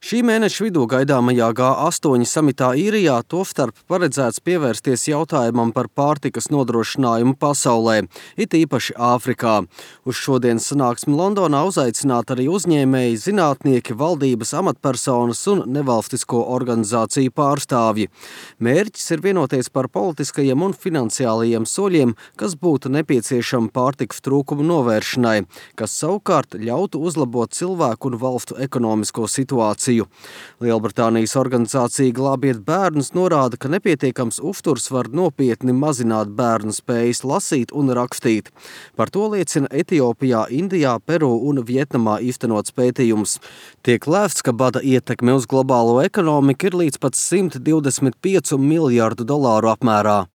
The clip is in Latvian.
Šī mēneša vidū gaidāmajā G8 samitā Īrijā tostarp paredzēts pievērsties jautājumam par pārtikas nodrošinājumu pasaulē, it īpaši Āfrikā. Uz šodienas sanāksmi Londonā uzaicināti arī uzņēmēji, zinātnieki, valdības amatpersonas un nevalstisko organizāciju pārstāvji. Mērķis ir vienoties par politiskajiem un finansiālajiem soļiem, kas būtu nepieciešami pārtikas trūkumu novēršanai, kas savukārt ļautu uzlabot cilvēku un valstu ekonomisko situāciju. Lielbritānijas organizācija Glābiet bērnus norāda, ka nepietiekams uzturs var nopietni mazināt bērnu spējas lasīt un rakstīt. Par to liecina Etiopijā, Indijā, Peru un Vietnamā īstenots pētījums. Tiek lēsts, ka bada ietekme uz globālo ekonomiku ir līdz pat $125 miljārdu apmērā.